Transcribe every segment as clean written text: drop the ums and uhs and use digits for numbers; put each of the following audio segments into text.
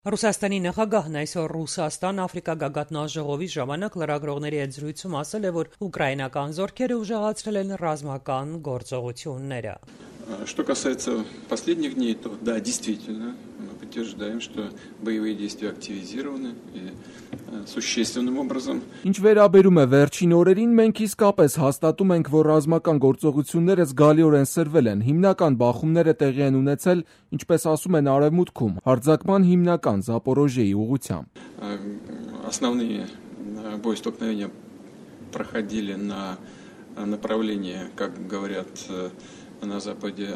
Ռուսաստանի նախագահն այսօր Ռուսաստան-Աֆրիկա գագաթնաժողովի ժամանակ լրագրողների հետ զրույցում ասել է, որ ուկրաինական զորքերը ուժեղացրել են ռազմական գործողությունները։ Что касается последних дней, то да, действительно, мы подтверждаем, что боевые действия активизированы и существенным образом. Ինչ վերաբերում է վերջին օրերին, մենք իսկապես հաստատում ենք, որ ռազմական գործողությունները զգալիորեն սրվել են։ Հիմնական բախումները տեղի են ունեցել, ինչպես ասում են Արևմուտքում, հարձակման հիմնական Զապորոժիեի ուղղությամբ։ Основные боестолкновения проходили на направлении, как говорят на западе,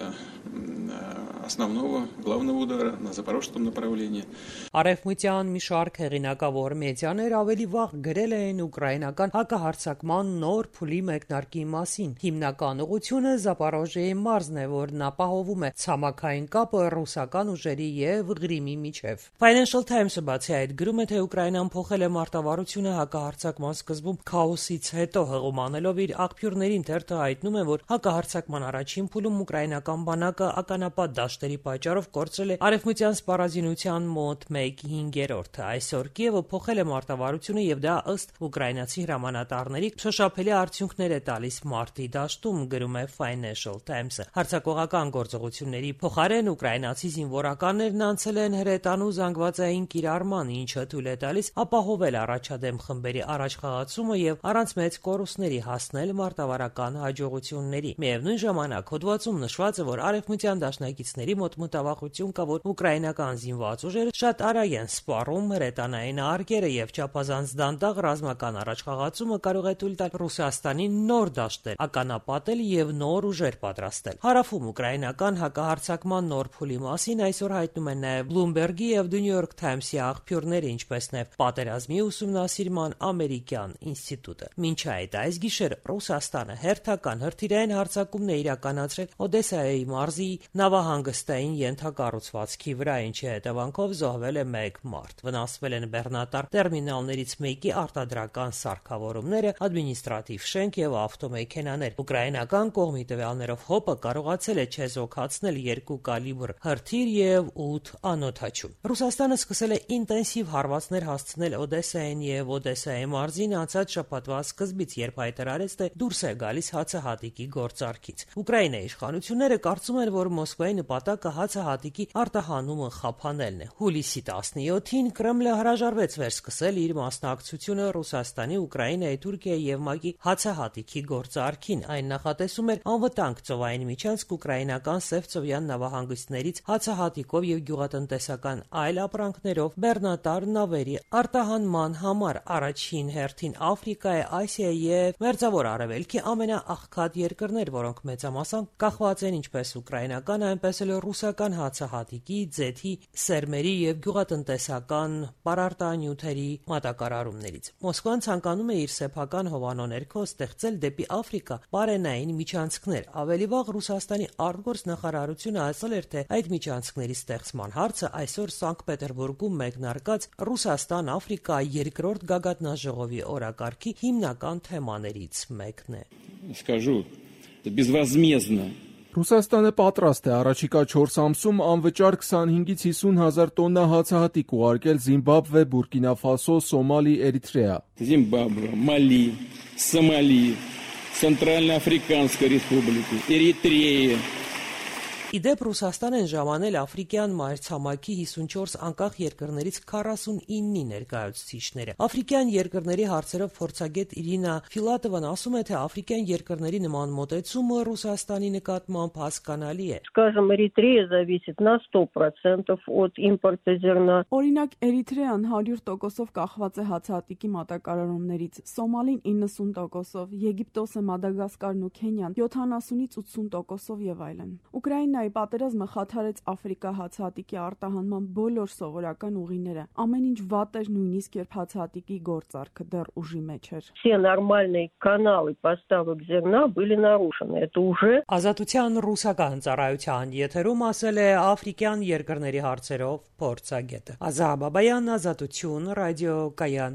основного главного удара на запорожском направлении. Արևմտյան մի շարք հեղինակավոր մեդիաներ ավելի վաղ գրել էին ուկրաինական հակահարձակման նոր փուլի մեկնարկի մասին։ Հիմնական ուղղությունը Զապորոժիեի մարզն է, որն ապահովում է ցամաքային կապը ռուսական ուժերի եւ Ղրիմի միջև։ Financial Times-ը բացի այդ գրում է, թե Ուկրաինան փոխել է մարտավարությունը հակահարձակման սկզբում քաոսից հետո, հղումանելով իր աղբյուրներին թերթը հայտնում է, որ հակահարձակման առաջին փուլում ուկրաինական բանակը ականապատ դաշտերի պատճառով կորցրել է արևմտյան սպառազինության մոտ 1/5։ Այսօր Կիևը փոխել է մարտավարությունը եւ դա ըստ ուկրաինացի հրամանատարների շոշափելի արդյունքներ է տալիս մարտի դաշտում, գրում է Financial Times-ը։ Հարձակողական գործողությունների փոխարեն ուկրաինացի զինվորականներն անցել են հրետանու զանգվածային կիրառման, ինչը թույլ է տալիս ապահովել առաջադեմ խմբերի առաջխաղացումը եւ առանց մեծ կորուստների հասնել մարտավարական հաջողությունների։ Միևնույն ժամանակ հոդվածում նշված է, որ արևմտյան դաշնակիցների մոտ մտավախություն կա, որ ուկրաինական զինված ուժերը շատ արագ են սպառում հրետանային արկերը եւ չափազանց դանդաղ ռազմական առաջխաղացումը կարող է թույլ տալ Ռուսաստանին նոր դաշտեր ականապատել եւ նոր ուժեր պատրաստել։ Հարավում ուկրաինական հակահարձակման նոր փուլի մասին այսօր հայտնում են նաեւ Bloomberg-ի եւ The New York Times-ի աղբյուրները, ինչպես նաեւ Պատերազմի ուսումնասիրման ամերիկյան ինստիտուտը։ Մինչ այդ այս գիշեր Ռուսաստանը հերթական հրթիռային հարձակումն է իրականացրել Օդեսայի մարզի նավահանգստային ենթակառուցվածքի վրա, ինչի հետևանքով զոհվել է 1 մարդ։ Վնասվել են բեռնատար տերմինալներից մեկի արտադրական սարքավորումները, ադմինիստրատիվ շենք եւ ավտոմեքենաներ։ Ուկրաինական կողմի տվյալներով ՀՕՊ-ը կարողացել է չեզոքացնել 2 կալիբր հրթիռ եւ 8 անօդաչու։ Ռուսաստանը սկսել է ինտենսիվ հարվածներ հասցնել Օդեսային եւ Օդեսայի մարզին անցած շաբաթվա սկզբից, երբ հայտարարեց, թե դուրս է գալիս հացահատիկի գործարքից։ Ուկրաինայի իշխանությունները կարծում են, որ Մոսկվայի նպատակը հացահատիկի արտահանումը խափանելն է։ Հուլիսի 17-ին Կրեմլը հրաժարվեց վերսկսել իր մասնակցությունը Ռուսաստանի, Ուկրաինայի, Թուրքիայի եւ ՄԱԿ-ի հացահատիկի գործարքին։ Այն նախատեսում էր անվտանգ ծովային միջանցք ուկրաինական Սևծովյան նավահանգիստներից հացահատիկով եւ գյուղատնտեսական այլ ապրանքներով բեռնատար նավերի արտահանման համար առաջին հերթին Աֆրիկայի, Ասիայի եւ Մերձավոր Արևելքի ամենաաղքատ երկրներ, որոնք մեծամասամբ կախված են ինչպես ուկրաինական, այնպես էլ ռուսական հացահատիկի, ձեթի, սերմերի եւ գյուղատնտեսական պարարտանյութերի մատակարարումներից։ Մոսկվան ցանկանում է իր սեփական հովանու ներքո ստեղծել դեպի Աֆրիկա պարենային միջանցքներ։ Ավելի վաղ Ռուսաստանի արտգործ նախարարությունը ասել էր, թե այդ միջանցքների ստեղծման հարցը այսօր Սանկտ Պետերբուրգում մեկնարկած Ռուսաստան-Աֆրիկա երկրորդ գագաթնաժողովի օրակարգի հիմնական թեմաներից մեկն է։ Скажу, безвозмездно. Ռուսաստանը պատրաստ է առաջիկա 4 ամսում անվճար 25-ից 50 հազար տոննա հացահատիկ ուղարկել Զիմբաբվե, Բուրկինա Ֆասո, Սոմալի, Էրիթրեա։ Зимбабве, Мали, Сомали, Центральноафриканской Республики, Эритрея. Իդեպ Ռուսաստան են ժամանել Աֆրիկյան մայրցամաքի 54 անկախ երկրներից 49-ի ներկայացուցիչները։ Աֆրիկյան երկրների հարցերով փորձագետ Իրինա Ֆիլատովան ասում է, թե աֆրիկյան երկրների նման մոտեցումը Ռուսաստանի նկատմամբ հասկանալի է։ Скажем, Эритрея зависит на 100% от импорта зерна. Օրինակ, Էրիթրեան 100%-ով կախված է հացահատիկի մատակարարումներից, Սոմալին 90%-ով, Եգիպտոսը, Մադագասկարն ու Քենիան 70-ից 80%-ով եւ այլն։ Ուկրաինայի պատերազմը խաթարեց Աֆրիկա հացահատիկի արտահանման բոլոր սովորական ուղիները։ Ամեն ինչ վատ էր, նույնիսկ երբ հացահատիկի գործարքը դեռ ուժի մեջ էր։ Все нормальные каналы поставок зерна были нарушены. Это уже Ազատության ռուսական ծառայության եթերում ասել է աֆրիկյան երկրների հարցերով փորձագետը։ Ազա Բաբայան, Ազատություն, ռադիո Կայան։